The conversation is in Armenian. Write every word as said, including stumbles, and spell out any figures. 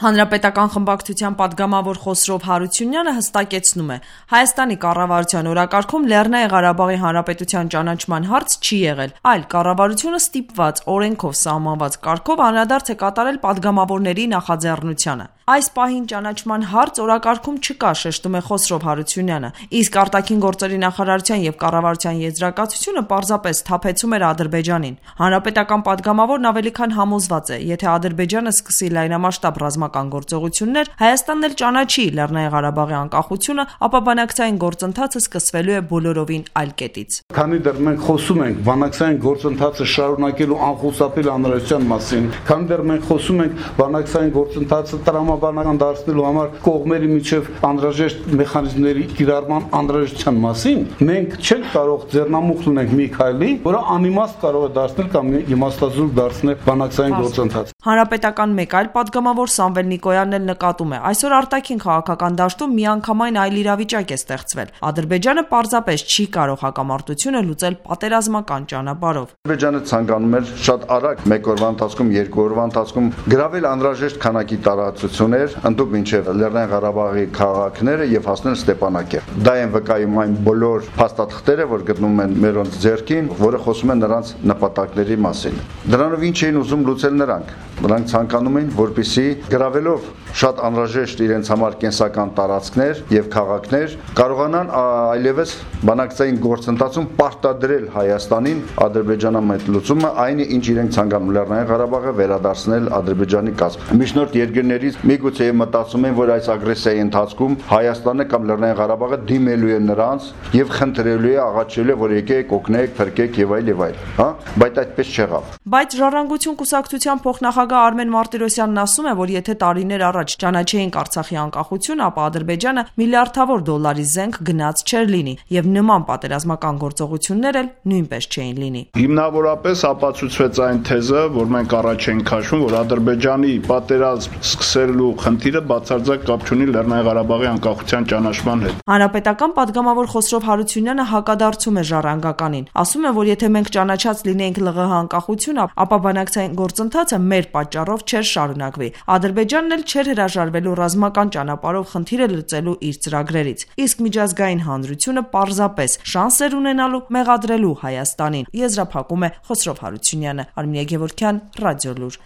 Հանրապետական խմբակցության պատգամավոր Խոսրով Հարությունյանը հստակեցնում է, Հայաստանի կառավարության օրակարգում Լեռնային Ղարաբաղի Հանրապետության ճանաչման հարց չի եղել, այլ կառավարությունը ստիպված օրենքով սահմանված կարգով անդրադարձ է կատարել պատգամավորների նախաձեռնությանը։ Այս պահին ճանաչման հարց օրակարգում չկա, շեշտում է Խոսրով Հարությունյանը, իսկ արտաքին գործերի նախարարության եւ կառավարության եզրակացությունը պարզապես թափեցում էր Ադրբեջանին։ Հանրապետական պատգամավորն ավելի քան համոզված է, եթե Ադրբեջանը սկսի լայնամասշտաբ ռազմական գործողություններ, Հայաստանն էլ ճանաչի Լեռնային Ղարաբաղի անկախությունը, ապա բանակցային գործընթացը սկսվելու է բոլորովին այլ կետից։ Քանի դեռ մենք խոսում ենք բանակցային գործընթացը շարունակելու անխուսափելի անհրաժեշտության մասին, քանի դեռ մենք խոսում ենք բանակցային գործընթացը տրամաբանական դարձնելու համար կողմերի միջև անհրաժեշտ մեխանիզմների կիրառման անհրաժեշտության մասին, մենք չենք կարող ձեռնամուխ լինենք մի քայլի, որը անիմաստ կարող է դարձնել կամ իմաստազուրկ դարձնել բանակցային գործընթացը։ Հանրապետական մեկ այլ պատգամավոր Սամվել Նիկոյանն էլ նկատում է, այսօր արտաքին քաղաքական դաշտում միանգամայն այլ իրավիճակ է ստեղծվել։ Ադրբեջանը պարզապես չի կարող հակամարտությունը լուծել պատերազմական ճանապարհով։ Ադրբեջանը ցանկանում էր շատ արագ մեկ օրվա ընթացքում, երկու օրվա ընթացքում գրավել անհրաժեշտ քանակի տարածություններ, ընդդուք մինչև Լեռնային Ղարաբաղի քաղաքները եւ հասնել Ստեփանակերտ։ Դա են վկայում այն բոլոր փաստաթղթերը, որ գտնվում են մերոնց ձեռքին, որը խոսում է նրանց նպատակների մասին։ Դրանով ինչ էին ուզում լուծել նրանք։ Նրանք ցանկանում էին, որպեսզի գրավելով շատ անհրաժեշտ իրենց համար կենսական տարածքներ եւ քաղաքներ կարողանան այլևս բանակցային գործընթացում պարտադրել Հայաստանին Ադրբեջանամետ լուծումը, այն ինչ իրենք ցանկանում Լեռնային Ղարաբաղը վերադարձնել Ադրբեջանի կազմ։ Միջնորդ երկրներից միգուցե մտածում են, որ այս ագրեսիայի ընթացքում Հայաստանը կամ Լեռնային Ղարաբաղը դիմելու է նրանց եւ խնդրելու է, աղաչելու է, որ եկեք, օգնեք, փրկեք եւ այլ եւ այլ, հա, բայց այդպես չեղավ։ Բայց Ժառանգություն կուսակցության փոխնախագահ Արմեն Մարտիրոսյանն ասում է, որ եթե տարիներ առաջ ճանաչեինք Արցախի անկախությունը, ապա Ադրբեջանը միլիարդավոր դոլարի զենք գնաց չէր լինի եւ նման պատերազմական գործողություններ էլ նույնպես չէին լինի։ Հիմնավորապես ապացուցվեց այն թեզը, որ մենք առաջ ենք քաշում, որ Ադրբեջանի պատերազմ սկսելու խնդիրը բացարձակ կապ չունի Լեռնային Ղարաբաղի անկախության ճանաչման հետ։ Հանրապետական պատգամավոր Խոսրով Հարությունյանը հակադարձում է ժառանգականին, ասում է, որ եթե մենք ճանաչած լինեինք ԼՂՀ անկախությունը, ապա բանակցային գործընթացը մեր պատճառով չէր շարունակվի։ Ադրբեջանն էլ չէր հրաժարվելու ռազմական ճանապարհով խնդիրը լուծելու իր ծրագրերից։ Իսկ միջազգային հանրությունը պարզապես շանս էր ունենալու մեղադրելու Հայաստանին, եզրափակում է Խոսրով Հարությունյանը։ Արմինե Գևորգյան, Ռադիոլուր։